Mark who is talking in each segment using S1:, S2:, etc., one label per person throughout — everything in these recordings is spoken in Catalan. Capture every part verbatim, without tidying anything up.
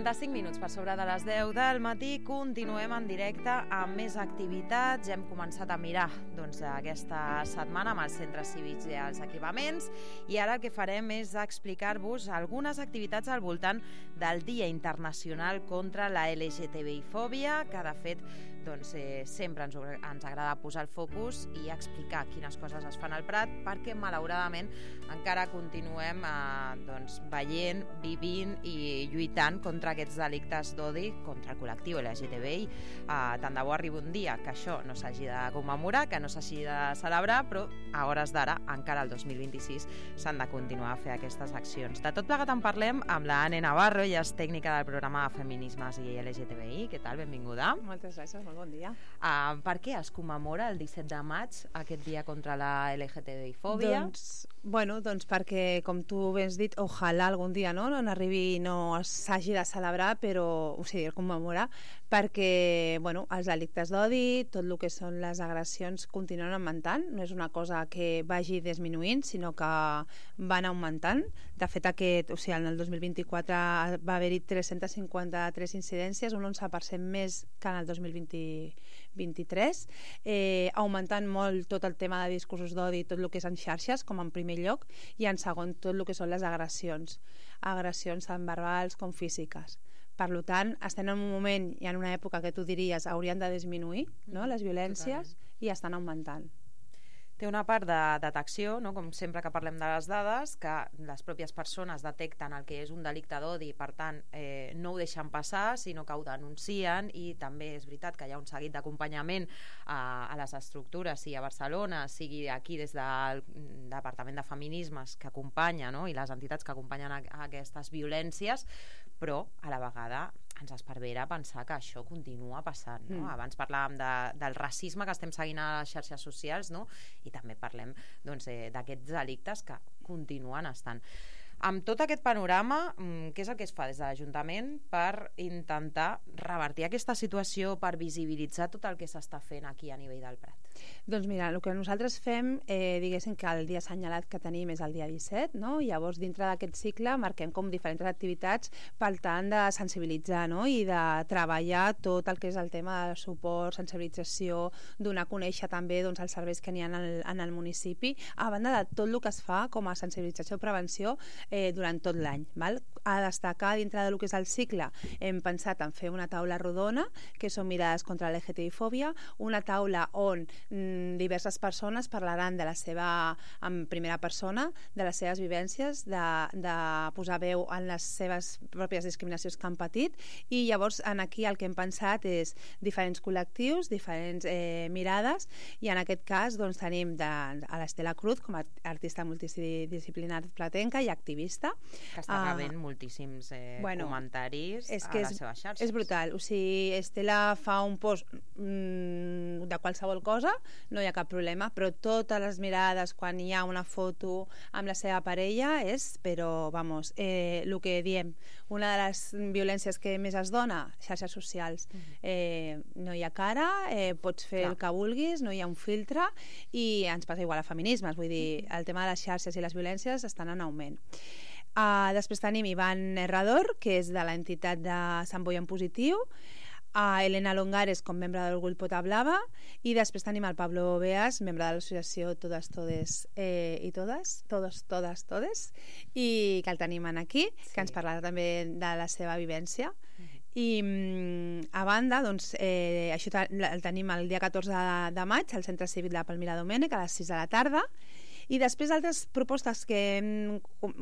S1: quaranta-cinc minuts per sobre de les deu del matí, continuem en directe amb més activitats. Hem començat a mirar doncs, aquesta setmana amb els centres cívics i els equipaments, i ara el que farem és explicar-vos algunes activitats al voltant del Dia Internacional contra la L G T B I-fòbia, que de fet doncs, eh, sempre ens, ens agrada posar el focus i explicar quines coses es fan al Prat, perquè malauradament encara continuem eh, doncs, veient, vivint i lluitant contra aquests delictes d'odi contra el col·lectiu L G T B I. Uh, tant de bo arribi un dia que això no s'hagi de commemorar, que no s'hagi de celebrar, però a hores d'ara, encara el dos mil vint-i-sis, s'han de continuar a fer aquestes accions. De tot plegat en parlem amb la Anne Navarro, ella és tècnica del programa Feminismes i L G T B I. Què tal? Benvinguda.
S2: Moltes gràcies, molt bon dia.
S1: Uh, per què es commemora el disset de maig aquest dia contra la L G T B I-fòbia?
S2: Doncs, bueno, doncs perquè, com tu bé has dit, ojalà algun dia no, no n'arribi, no s'hagi de celebrar, però, o sigui, commemorar, perquè, bueno, els delictes d'odi, tot el que són les agressions continuen augmentant, no és una cosa que vagi disminuint, sinó que van augmentant. De fet, aquest, o sigui, en el dos mil vint-i-quatre va haver-hi tres-centes cinquanta-tres incidències, un onze per cent més que en el dos mil vint-i-tres, eh, augmentant molt tot el tema de discursos d'odi, tot el que és en xarxes, com en primer lloc, i en segon tot el que són les agressions, agressions tant verbals com físiques. Per tant, estem en un moment i en una època que tu diries haurien de disminuir, no?, les violències, totalment, i estan augmentant.
S1: Té una part de detecció, no? Com sempre que parlem de les dades, que les pròpies persones detecten el que és un delicte d'odi, per tant, eh, no ho deixen passar, sinó que ho denuncien, i també és veritat que hi ha un seguit d'acompanyament a, a les estructures, sigui a Barcelona, sigui aquí des del Departament de Feminismes, que acompanya, no?, i les entitats que acompanyen a, a aquestes violències, però a la vegada ens esparvera pensar que això continua passant, no? Mm. Abans parlàvem de, del racisme que estem seguint a les xarxes socials, no? I també parlem doncs, eh, d'aquests delictes que continuen estant. Amb tot aquest panorama, què és el que es fa des de l'Ajuntament per intentar revertir aquesta situació, per visibilitzar tot el que s'està fent aquí a nivell del Prat?
S2: Doncs mira, el que nosaltres fem, eh, diguéssim que el dia assenyalat que tenim és el dia disset, no? I llavors dintre d'aquest cicle marquem com diferents activitats per tant de sensibilitzar, no?, i de treballar tot el que és el tema de suport, sensibilització, donar a conèixer també doncs, els serveis que n'hi ha en el, en el municipi, a banda de tot el que es fa com a sensibilització i prevenció eh, durant tot l'any. Val? A destacar dintre del que és el cicle, hem pensat en fer una taula rodona, que són mirades contra la L G T B-fòbia, una taula on mm, diverses persones parlaran de la seva, en primera persona, de les seves vivències, de, de posar veu en les seves pròpies discriminacions que han patit, i llavors en aquí el que hem pensat és diferents col·lectius, diferents eh, mirades, i en aquest cas doncs, tenim de, a l'Estela Cruz com a artista multidisciplinari platenca i activista.
S1: Que està rebent uh, moltíssims eh, bueno, comentaris a les
S2: és,
S1: seves xarxes.
S2: És brutal, o sigui, Estela fa un post mm, de qualsevol cosa, no hi ha cap problema, però totes les mirades quan hi ha una foto amb la seva parella és, però, vamos, eh, el que diem, una de les violències que més es dona, xarxes socials. Uh-huh. eh, no hi ha cara, eh, pots fer Clar. el que vulguis, no hi ha un filtre, i ens passa igual a feminismes, vull dir, el tema de les xarxes i les violències estan en augment. Uh, després tenim Ivan Herrador, que és de l'entitat de Sant Boi en Positiu, a Elena Longares com membre del grup Pota Blava, i després tenim el Pablo Beas, membre de l'associació Todas, Todes eh, i Todas, Todos, Todas, Todes, i que el tenim aquí, sí. que ens parlarà també de la seva vivència. Uh-huh. I a banda, doncs, eh, això el tenim el dia catorze de, de maig al Centre Cívic de Palmira Domènech a les sis de la tarda. I després altres propostes que hem,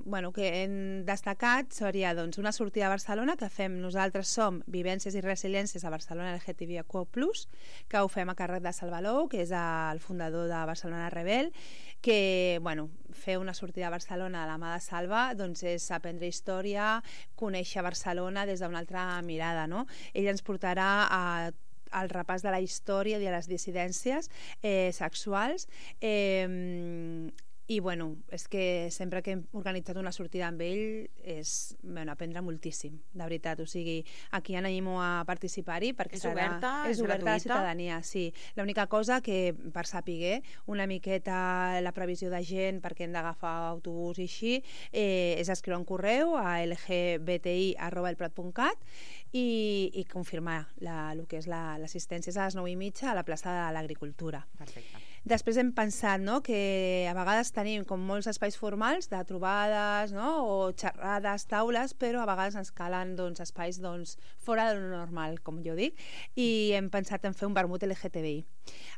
S2: bueno, que hem destacat seria doncs, una sortida a Barcelona que fem nosaltres, som Vivències i Resiliències a Barcelona L G T B I Q plus, que ho fem a càrrec de Salvalou, que és el fundador de Barcelona Rebel, que bueno, fer una sortida a Barcelona a la mà de Salva doncs, és aprendre història, conèixer Barcelona des d'una altra mirada, no? Ell ens portarà a el repàs de la història i de les dissidències eh, sexuals, eh, I, bueno, és que sempre que hem organitzat una sortida amb ell és, bueno, aprendre moltíssim, de veritat. O sigui, aquí animo a participar-hi perquè
S1: és
S2: serà...
S1: oberta,
S2: és,
S1: és
S2: oberta
S1: gratuïta?
S2: a la ciutadania, sí. L'única cosa que, per saber una miqueta la previsió de gent, perquè hem d'agafar autobús i així, eh, és escriure un correu a l g b t i arroba el prat punt cat i, i confirmar la, el que és l'assistència. La, és a les nou i mitja a la plaça de l'Agricultura.
S1: Perfecte.
S2: Després hem pensat, no?, que a vegades tenim com molts espais formals de trobades, no?, o xerrades, taules, però a vegades ens calen, doncs, espais, doncs, fora de lo normal, com jo dic, i hem pensat en fer un vermut L G T B I.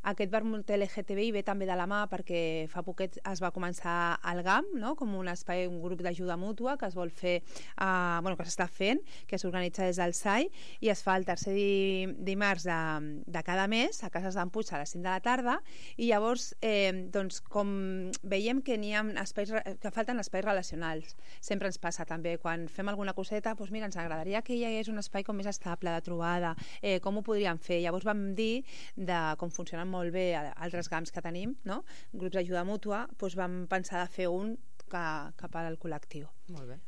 S2: Aquest vermut L G T B I ve també de la mà perquè fa poquet es va començar al G A M, no?, com un espai, un grup d'ajuda mútua que es vol fer, eh, bueno, que s'està fent, que s'organitza des del S A I, i es fa el tercer di dimarts de, de cada mes a Cases d'en Puig a les cinc de la tarda, i llavors, eh, doncs, com veiem que n'hi ha espais, que falten espais relacionals. Sempre ens passa també, quan fem alguna coseta, doncs mira, ens agradaria que hi hagués un espai com més estable, de trobada, eh, com ho podríem fer? Llavors vam dir, de com funcionen molt bé altres G A Ms que tenim, no?, grups d'ajuda mútua, doncs vam pensar de fer un cap, cap al col·lectiu.
S1: Molt bé.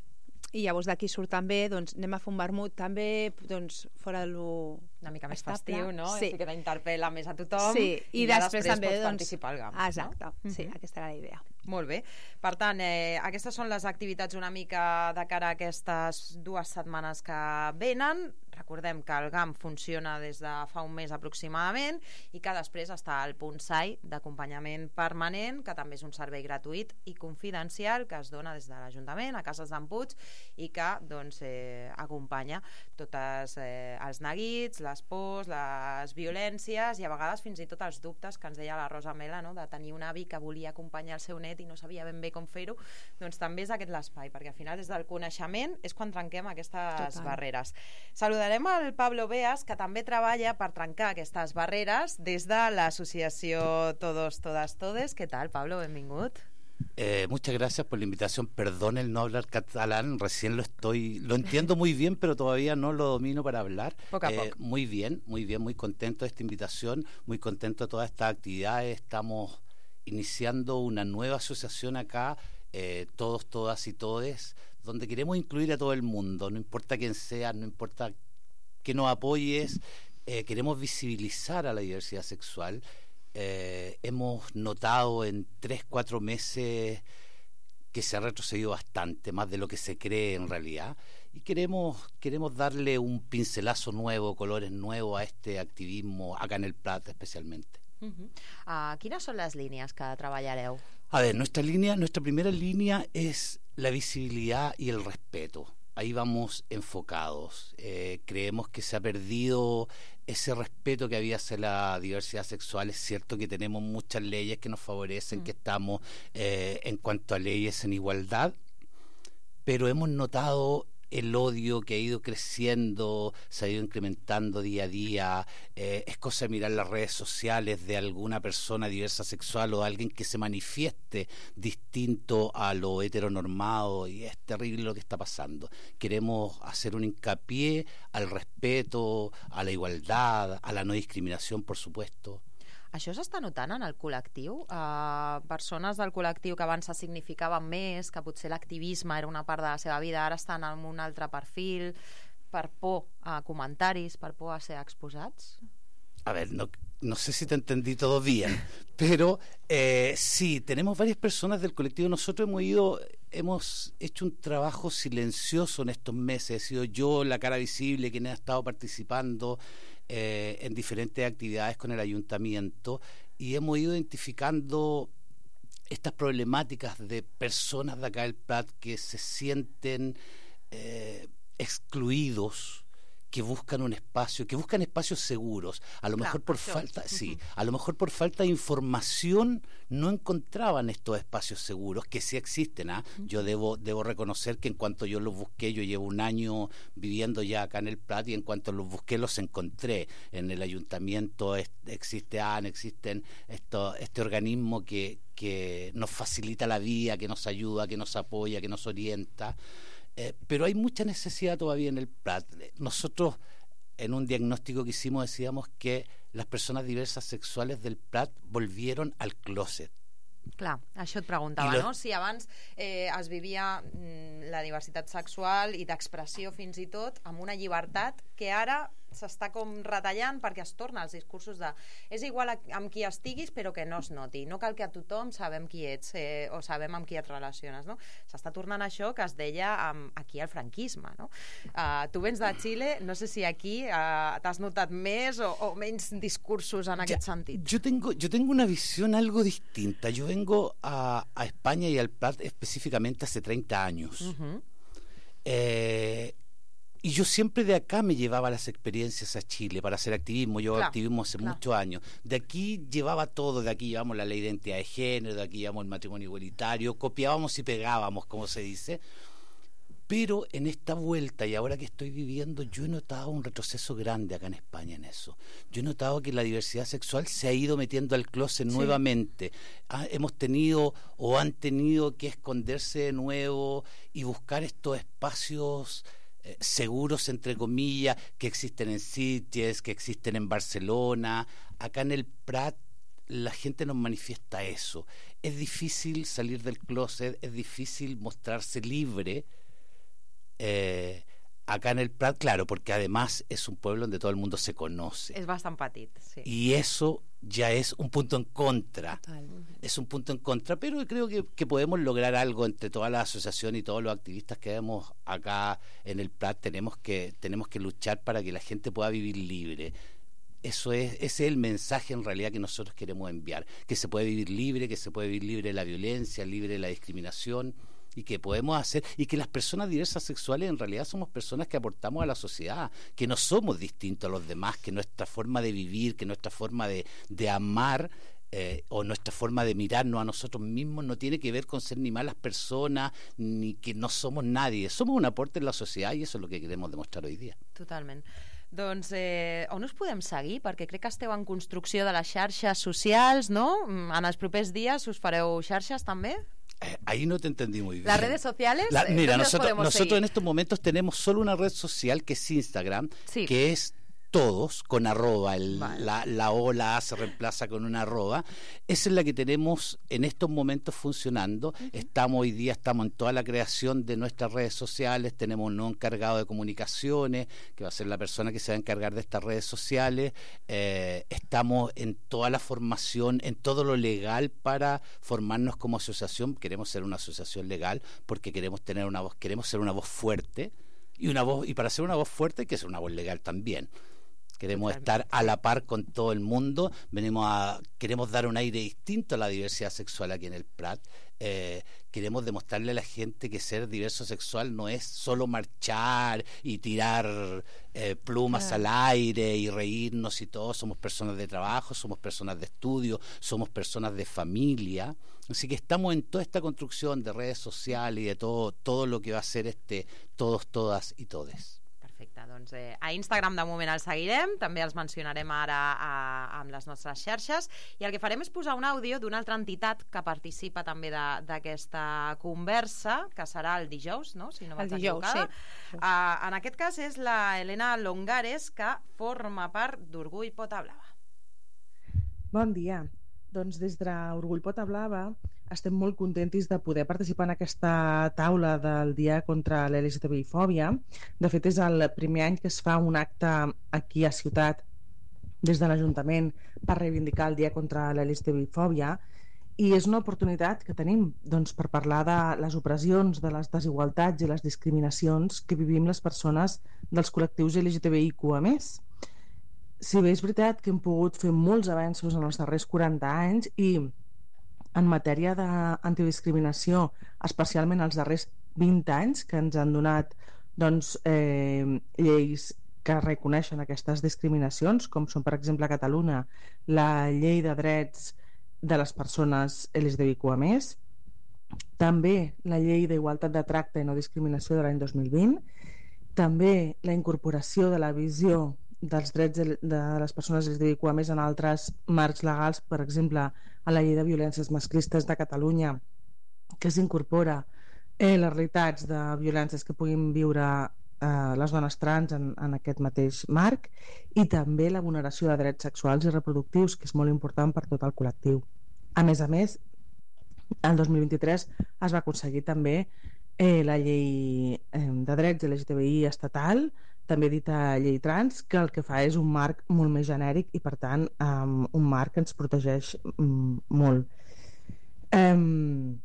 S2: I llavors d'aquí surt també, doncs anem a fer un vermut també, doncs fora de lo
S1: una mica més
S2: estable.
S1: festiu, no?
S2: Sí.
S1: Així que t'interpel·la més a tothom.
S2: Sí, i,
S1: i
S2: després,
S1: després
S2: també
S1: pots
S2: doncs,
S1: participar al G A M.
S2: Exacte,
S1: no?
S2: sí,
S1: uh-huh.
S2: Aquesta era la idea.
S1: Molt bé. Per tant, eh, aquestes són les activitats una mica de cara a aquestes dues setmanes que venen. Recordem que el G A M funciona des de fa un mes aproximadament i que després està el punt S A I d'acompanyament permanent, que també és un servei gratuït i confidencial que es dona des de l'Ajuntament a Cases d'en Puig i que doncs, eh, acompanya tots eh, els neguits, les pors, les violències i a vegades fins i tot els dubtes que ens deia la Rosa Mela, no?, de tenir un avi que volia acompanyar el seu net i no sabia ben bé com fer-ho. Doncs també és aquest l'espai, perquè al final des del coneixement és quan trenquem aquestes
S2: Total.
S1: barreres. Saludarem al Pablo Beas, que també treballa per trencar aquestes barreres des de l'associació Todos, Todas, Todes. ¿Qué tal, Pablo? Benvingut.
S3: Eh, muchas gracias por la invitación. Perdón el no hablar catalán, recién lo estoy, lo entiendo muy bien, pero todavía no lo domino para hablar.
S1: Poco a
S3: eh,
S1: poco.
S3: Muy bien, muy bien, muy contento de esta invitación, muy contento de todas estas actividades. Estamos iniciando una nueva asociación acá, eh, todos, todas y todes, donde queremos incluir a todo el mundo, no importa quién sea, no importa que nos apoyes, eh, queremos visibilizar a la diversidad sexual. Eh, hemos notado en tres, cuatro meses que se ha retrocedido bastante, más de lo que se cree en realidad, y queremos, queremos darle un pincelazo nuevo, colores nuevos a este activismo acá en el Prat especialmente.
S1: Uh-huh. Uh, quines són les línies que treballareu?
S3: A ver, nuestra línea, nuestra primera línea es la visibilidad y el respeto. Ahí vamos enfocados. Eh, creemos que se ha perdido ese respeto que había hacia la diversidad sexual. Es cierto que tenemos muchas leyes que nos favorecen, mm. que estamos eh, en cuanto a leyes en igualdad, pero hemos notado el odio que ha ido creciendo, se ha ido incrementando día a día. Eh, es cosa de mirar las redes sociales de alguna persona diversa sexual o de alguien que se manifieste distinto a lo heteronormado, y es terrible lo que está pasando. Queremos hacer un hincapié al respeto, a la igualdad, a la no discriminación, por supuesto.
S1: Això s'està notant en el col·lectiu? Uh, persones del col·lectiu que abans se significaven més, que potser l'activisme era una part de la seva vida, ara estan en un altre perfil, per por a comentaris, per por a ser exposats?
S3: A ver, no, no sé si te entendí todo bien, pero eh, sí, tenemos varias personas del colectivo. Nosotros hemos ido, hemos hecho un trabajo silencioso en estos meses. He sido yo la cara visible quien ha estado participando eh, en diferentes actividades con el ayuntamiento, y hemos ido identificando estas problemáticas de personas de acá del Prat que se sienten eh, excluidos, que buscan un espacio, que buscan espacios seguros. A lo
S1: claro,
S3: mejor por
S1: yo.
S3: falta,
S1: uh-huh.
S3: sí, a lo mejor por falta de información no encontraban estos espacios seguros, que sí existen. ¿ah? Uh-huh. Yo debo debo reconocer que en cuanto yo los busqué, yo llevo un año viviendo ya acá en el Prat, y en cuanto los busqué los encontré. En el ayuntamiento es, existe A N, existen esto, este organismo que, que nos facilita la vida, que nos ayuda, que nos apoya, que nos orienta. Eh, pero hay mucha necesidad todavía en el Prat. Nosotros, en un diagnóstico que hicimos, decíamos que las personas diversas sexuales del Prat volvieron al closet.
S1: Clar, això et preguntava,
S3: lo...
S1: no? Si abans eh, es vivia mm, la diversitat sexual i d'expressió fins i tot amb una llibertat que ara s'està com retallant perquè es torna als discursos de és igual a, amb qui estiguis però que no es noti, no cal que a tothom sabem qui ets eh, o sabem amb qui et relaciones, no? S'està tornant això que es deia amb, aquí al franquisme, no? Uh, tu vens de Xile, no sé si aquí uh, t'has notat més o, o menys discursos en aquest
S3: ya,
S1: sentit.
S3: Yo tengo, yo tengo una visión algo distinta. Yo vengo a, a España y al Prat específicamente hace treinta años. Uh-huh. eh, Y yo siempre de acá me llevaba las experiencias a Chile para hacer activismo. Yo hago
S1: claro,
S3: activismo hace
S1: claro.
S3: muchos años. De aquí llevaba todo, de aquí llevamos la ley de identidad de género, de aquí llevamos el matrimonio igualitario, copiábamos y pegábamos, como se dice. Pero en esta vuelta y ahora que estoy viviendo, yo he notado un retroceso grande acá en España en eso. Yo he notado que la diversidad sexual se ha ido metiendo al closet sí. nuevamente. Ah, hemos tenido o han tenido que esconderse de nuevo y buscar estos espacios seguros, entre comillas, que existen en Sitges, que existen en Barcelona. Acá en el Prat la gente nos manifiesta eso. Es difícil salir del closet, es difícil mostrarse libre. Eh, acá en el Prat, claro, porque además es un pueblo donde todo el mundo se conoce.
S1: Es bastante petit, sí.
S3: Y eso ya es un punto en contra.
S2: Total.
S3: Es un punto en contra, pero creo que, que podemos lograr algo entre toda la asociación y todos los activistas que vemos acá en el Prat. Tenemos que, tenemos que luchar para que la gente pueda vivir libre. Eso es, ese es el mensaje en realidad que nosotros queremos enviar, que se puede vivir libre, que se puede vivir libre de la violencia, libre de la discriminación, y que podemos hacer, y que las personas diversas sexuales en realidad somos personas que aportamos a la sociedad, que no somos distintos a los demás, que nuestra forma de vivir, que nuestra forma de, de amar eh, o nuestra forma de mirarnos a nosotros mismos no tiene que ver con ser ni malas personas, ni que no somos nadie. Somos un aporte en la sociedad i eso és el que queremos demostrar hoy día.
S1: Totalment. Doncs eh, on us podem seguir? Perquè crec que esteu en construcció de les xarxes socials, no? En els propers dies us fareu xarxes també?
S3: Eh, ahí no te entendí muy bien.
S1: ¿Las redes sociales?
S3: La, mira, nosotros, nosotros
S1: seguir?
S3: en estos momentos tenemos solo una red social que es Instagram,
S1: sí.
S3: que es todos con arroba, el,
S1: vale.
S3: la, la O, la A se reemplaza con una arroba. Esa es la que tenemos en estos momentos funcionando. Uh-huh. Estamos hoy día, estamos en toda la creación de nuestras redes sociales, tenemos un nuevo encargado de comunicaciones, que va a ser la persona que se va a encargar de estas redes sociales. Eh, estamos en toda la formación, en todo lo legal para formarnos como asociación. Queremos ser una asociación legal porque queremos tener una voz, queremos ser una voz fuerte, y una voz, y para ser una voz fuerte hay que ser una voz legal también. Queremos estar a la par con todo el mundo. Venimos a, queremos dar un aire distinto a la diversidad sexual aquí en el Prat. Eh, queremos demostrarle a la gente que ser diverso sexual no es solo marchar y tirar eh, plumas claro. al aire y reírnos y todo. Somos personas de trabajo, somos personas de estudio, somos personas de familia. Así que estamos en toda esta construcción de redes sociales y de todo, todo lo que va a ser este todos, todas y todes.
S1: Perfecte, doncs eh, a Instagram de moment els seguirem, també els mencionarem ara a, amb les nostres xarxes, i el que farem és posar un àudio d'una altra entitat que participa també d'aquesta conversa, que serà el dijous, no? Si no vaig
S2: el dijous,
S1: equivocada.
S2: Sí.
S1: Uh, en aquest cas és la Helena Longares, que forma part d'Orgull Pota Blava.
S4: Bon dia. Doncs des d'Orgull Pota Blava estem molt contentis de poder participar en aquesta taula del Dia contra l'L G T B I-fòbia. De fet, és el primer any que es fa un acte aquí a Ciutat des de l'Ajuntament per reivindicar el Dia contra l'L G T B I-fòbia, i és una oportunitat que tenim doncs, per parlar de les opressions, de les desigualtats i les discriminacions que vivim les persones dels col·lectius L G T B I Q a més. Si bé és veritat que hem pogut fer molts avenços en els darrers quaranta anys i en matèria d'antidiscriminació, especialment els darrers vint anys, que ens han donat doncs, eh, lleis que reconeixen aquestes discriminacions, com són, per exemple, a Catalunya, la Llei de Drets de les Persones L G T B I Q a més, també la Llei d'Igualtat de Tracte i No Discriminació de l'any dos mil vint, també la incorporació de la visió dels drets de les persones L G T B I Q a més en altres marcs legals, per exemple, a la Llei de Violències Masclistes de Catalunya, que s'incorpora eh, les realitats de violències que puguin viure eh, les dones trans en, en aquest mateix marc, i també la vulneració de drets sexuals i reproductius, que és molt important per tot el col·lectiu. A més a més, El dos mil vint-i-tres es va aconseguir també eh, la llei eh, de drets L G T B I estatal, també dita llei trans, que el que fa és un marc molt més genèric i, per tant, um, un marc que ens protegeix um, molt. Um,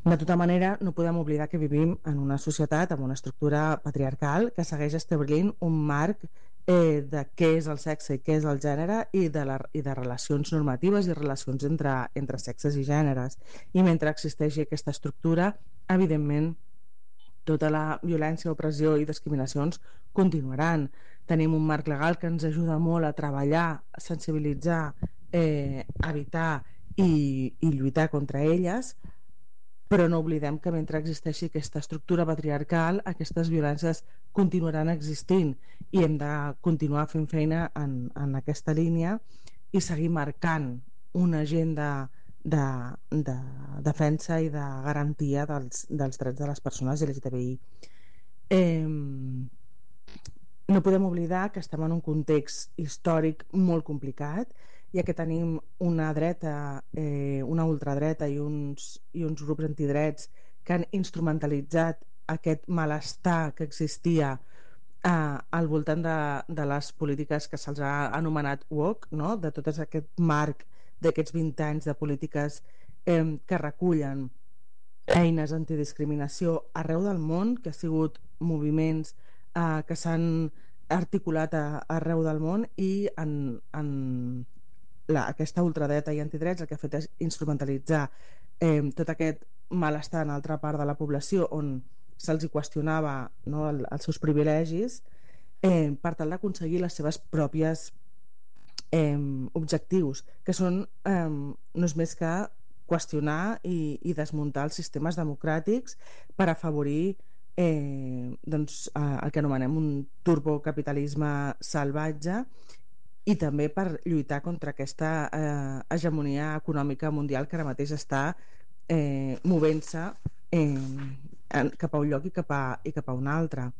S4: de tota manera, no podem oblidar que vivim en una societat amb una estructura patriarcal que segueix establint un marc eh, de què és el sexe i què és el gènere i de, la, i de relacions normatives i relacions entre, entre sexes i gèneres. I mentre existeixi aquesta estructura, evidentment, tota la violència, opressió i discriminacions continuaran. Tenim un marc legal que ens ajuda molt a treballar, a sensibilitzar, eh, evitar i, i lluitar contra elles, però no oblidem que mentre existeixi aquesta estructura patriarcal, aquestes violències continuaran existint i hem de continuar fent feina en, en aquesta línia i seguir marcant una agenda de, de defensa i de garantia dels, dels drets de les persones L G T B I. Eh, no podem oblidar que estem en un context històric molt complicat, ja que tenim una dreta, eh, una ultradreta i uns, i uns grups antidrets que han instrumentalitzat aquest malestar que existia eh, al voltant de, de les polítiques que se'ls ha anomenat woke, no? De tot aquest marc d'aquests vint anys de polítiques eh, que recullen eines antidiscriminació arreu del món, que ha sigut moviments eh, que s'han articulat a, arreu del món i en, en la, aquesta ultradreta i antidrets el que ha fet és instrumentalitzar eh, tot aquest malestar en altra part de la població on se'ls qüestionava, no, el, els seus privilegis eh, per tal d'aconseguir les seves pròpies eh, objectius, que són eh, no és més que qüestionar i, i desmuntar els sistemes democràtics per afavorir eh, doncs, eh, el que anomenem un turbocapitalisme salvatge i també per lluitar contra aquesta eh, hegemonia econòmica mundial que ara mateix està eh, movent-se eh, cap a un lloc i cap a, i cap a un altre.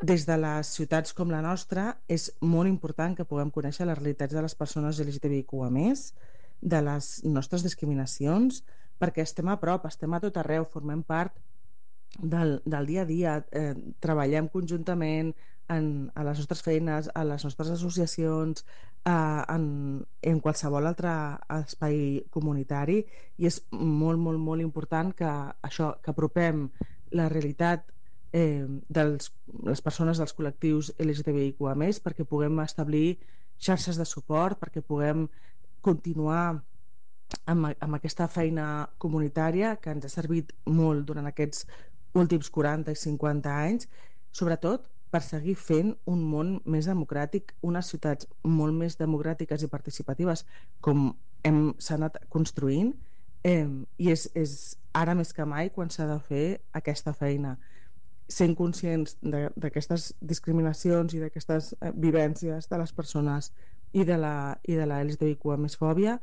S4: Des de les ciutats com la nostra és molt important que puguem conèixer les realitats de les persones L G T B I Q A més, de les nostres discriminacions, perquè estem a prop, estem a tot arreu, formem part del, del dia a dia, eh, treballem conjuntament en, a les nostres feines, a les nostres associacions, eh, en, en qualsevol altre espai comunitari, i és molt, molt, molt important que això, que apropem la realitat eh, de les persones dels col·lectius L G T B I Q A més, perquè puguem establir xarxes de suport, perquè puguem continuar amb, amb aquesta feina comunitària que ens ha servit molt durant aquests últims quaranta i cinquanta anys, sobretot per seguir fent un món més democràtic, unes ciutats molt més democràtiques i participatives com hem s'ha anat construint, eh, i és, és ara més que mai quan s'ha de fer aquesta feina, sent conscients d'aquestes discriminacions i d'aquestes eh, vivències de les persones i de la, i de la L G T B I Q A més fòbia,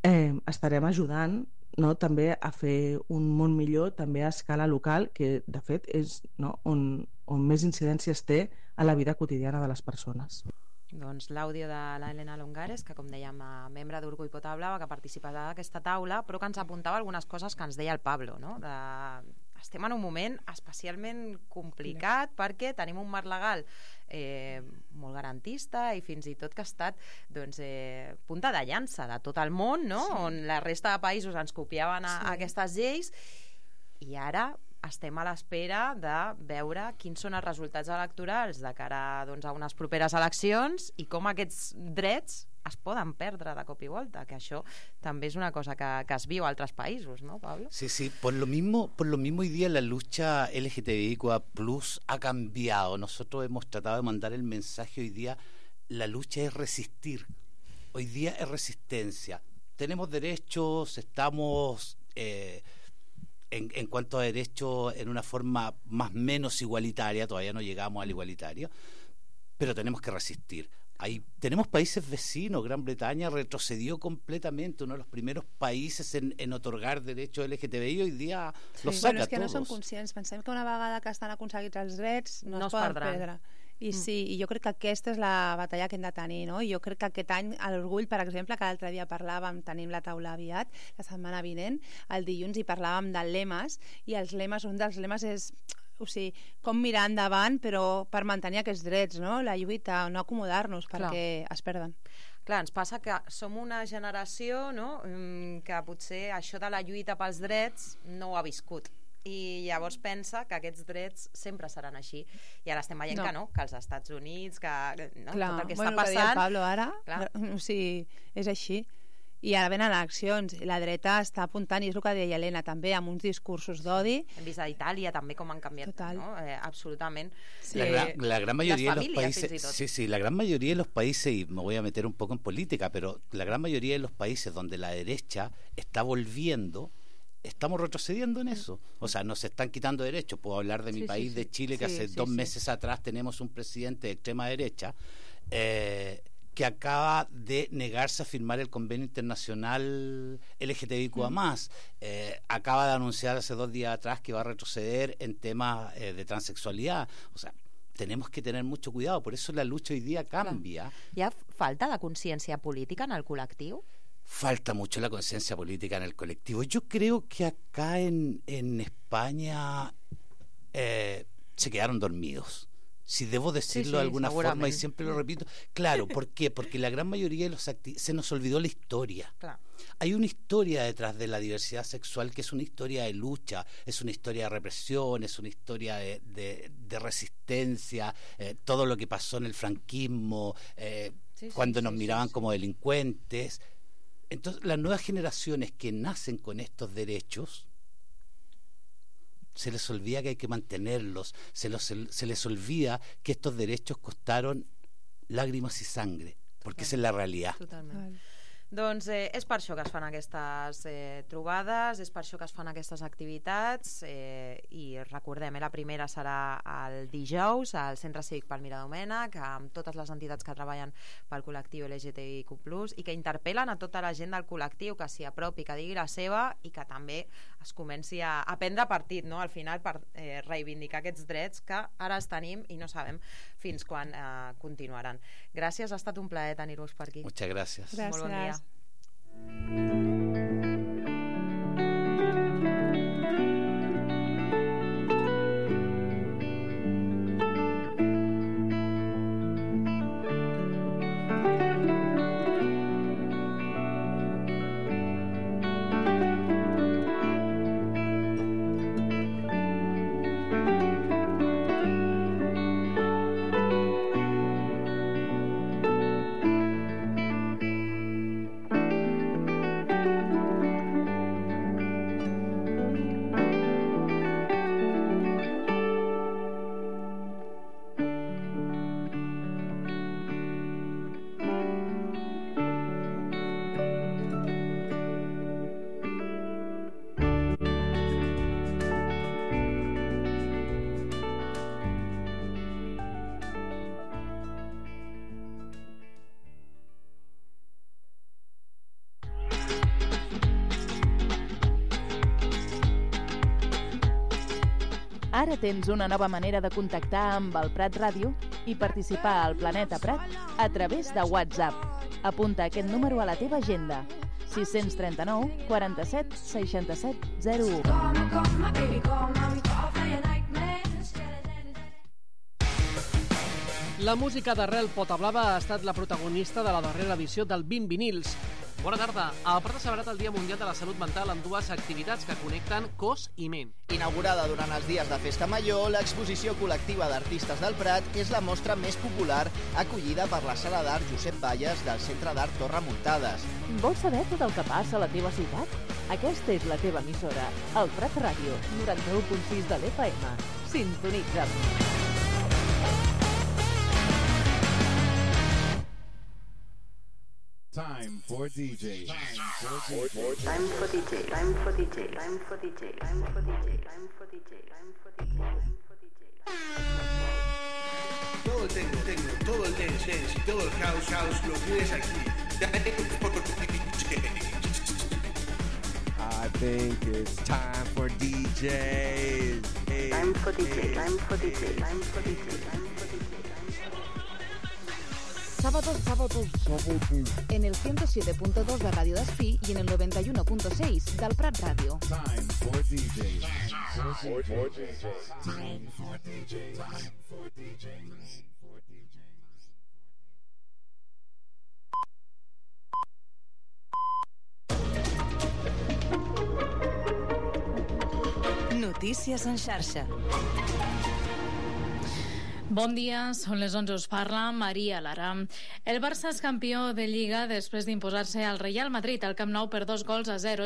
S4: eh, estarem ajudant, no, també a fer un món millor també a escala local, que de fet és, no, on, on més incidències té a la vida quotidiana de les persones.
S1: Doncs l'àudio de l'Helena Longares, que com dèiem, membre d'Orgull Potablava, que participarà d'aquesta taula, però que ens apuntava algunes coses que ens deia el Pablo, no? De... estem en un moment especialment complicat perquè tenim un marc legal eh, molt garantista i fins i tot que ha estat doncs, eh, punta de llança de tot el món, no? Sí. On la resta de països ens copiaven a, sí. a aquestes lleis, i ara estem a l'espera de veure quins són els resultats electorals de cara doncs, a unes properes eleccions i com aquests drets es poden perdre de cop y volta, que això també és una cosa que, que es viu a altres països, ¿no, Pablo?
S3: Sí, sí, por lo mismo, por lo mismo hoy día la lucha L G T B I Q A plus ha cambiado. Nosotros hemos tratado de mandar el mensaje hoy día, la lucha es resistir, hoy día es resistencia. Tenemos derechos, estamos eh, en, en cuanto a derechos en una forma más o menos igualitaria, todavía no llegamos al igualitario, pero tenemos que resistir. Ahí tenemos países vecinos, Gran Bretaña retrocedió completamente, uno de los primeros países en, en otorgar derechos L G T B I, hoy dia sí. los saca
S2: bueno, és que
S3: todos.
S2: No són conscients, pensem que una vegada que estan aconseguits els drets no, no es poden perdre. I sí, i jo crec que aquesta és la batalla que hem de tenir, no? I jo crec que aquest any, a l'Orgull, per exemple, que l'altre dia parlàvem, tenim la taula aviat, la setmana vinent, el dilluns, i parlàvem de lemes, i els lemes, un dels lemes és, o sigui, com mirar endavant, però per mantenir aquests drets, no? La lluita, no acomodar-nos, perquè Clar. es perden.
S1: Clar, ens passa que som una generació, no?, que potser això de la lluita pels drets no ho ha viscut. I llavors pensa que aquests drets sempre seran així. I ara estem veient no. que no, que als Estats Units, que no,
S2: clar,
S1: tot el que
S2: bueno,
S1: està passant...
S2: El Pablo ara, clar. o sigui, és així. I ara venen eleccions, la dreta està apuntant, i és el que deia Helena també, amb uns discursos d'odi.
S1: Hem vist a Itàlia també com han canviat,
S2: Total.
S1: ¿no? Eh, absolutament.
S3: Sí. La, gran, la gran mayoría de los países,
S1: sí,
S3: sí, la gran mayoría de los países, y me voy a meter un poco en política, pero la gran mayoría de los países donde la derecha está volviendo, estamos retrocediendo en eso. O sea, nos están quitando derechos. Puedo hablar de mi sí, país, sí, de Chile, que sí, hace sí, dos sí. meses atrás tenemos un presidente de extrema derecha eh, que acaba de negarse a firmar el convenio internacional L G T B I Q A más. Eh, acaba de anunciar hace dos días atrás que va a retroceder en temas eh, de transexualidad. O sea, tenemos que tener mucho cuidado. Por eso la lucha hoy día cambia.
S1: Hi ha falta de consciència política en el col·lectiu?
S3: Falta mucho la conciencia política en el colectivo. Yo creo que acá en, en España eh, se quedaron dormidos. Si debo decirlo sí, sí, de alguna forma, y siempre lo repito. Claro, ¿por qué? Porque la gran mayoría de los activistas se nos olvidó la historia.
S1: Claro.
S3: Hay una historia detrás de la diversidad sexual que es una historia de lucha, es una historia de represión, es una historia de, de, de resistencia, eh, todo lo que pasó en el franquismo, eh, sí, cuando sí, nos sí, miraban sí, como sí. delincuentes. Entonces, las nuevas generaciones que nacen con estos derechos, se les olvida que hay que mantenerlos, se, los, se les olvida que estos derechos costaron lágrimas y sangre, porque Total. esa es la realidad.
S1: Totalment. Doncs eh, és per això que es fan aquestes eh, trobades, és per això que es fan aquestes activitats eh, i recordem, eh, la primera serà el dijous al Centre Cívic Palmira Domènech, amb totes les entitats que treballen pel col·lectiu L G T B I Q plus, i que interpel·len a tota la gent del col·lectiu que s'hi apropi, que digui la seva i que també es comenci a, a prendre partit, no? Al final, per eh, reivindicar aquests drets que ara els tenim i no sabem fins quan eh, continuaran. Gràcies, ha estat un plaer tenir-vos per aquí.
S3: Muchas gracias.
S2: Gràcies.
S1: Molt bon dia.
S5: Ara tens una nova manera de contactar amb el Prat Ràdio i participar al Planeta Prat a través de WhatsApp. Apunta aquest número a la teva agenda: sis cents trenta-nou quaranta-set seixanta-set zero u.
S6: La música d'Arrel Potablava ha estat la protagonista de la darrera edició del vint vinils. Bona tarda. El Prat ha celebrat el Dia Mundial de la Salut Mental amb dues activitats que connecten cos i ment.
S7: Inaugurada durant els dies de Festa Major, l'exposició col·lectiva d'artistes del Prat és la mostra més popular acollida per la Sala d'Art Josep Valles del Centre d'Art Torre Muntades.
S5: Vols saber tot el que passa a la teva ciutat? Aquesta és la teva emissora, el Prat Ràdio, noranta-u punt sis de l'F M. Sintonitza'm.
S8: Time for D J. Time for D J.
S9: Time for D J. Time for D J. Time for D J. Time for D J. Time for D J. Time for D J. Time for D J.
S10: Todo el techno, techno, todo el dance, dance y todo el house, house lo tienes aquí.
S8: I think it's time for D Js.
S9: Time for D J. Time for D J. Time for D J. Time for D J.
S11: Sábados, sábados, sábados. En el ciento siete punto dos de Radio Despí y en el noventa y uno punto seis del Prat Radio.
S8: Time for D J. Time for D J. Time for D J. Time for D J.
S12: Notícies en xarxa.
S13: Bon dia, són les onze, us parla Maria Lara. El Barça és campió de Lliga després d'imposar-se al Real Madrid al Camp Nou per dos gols a zero.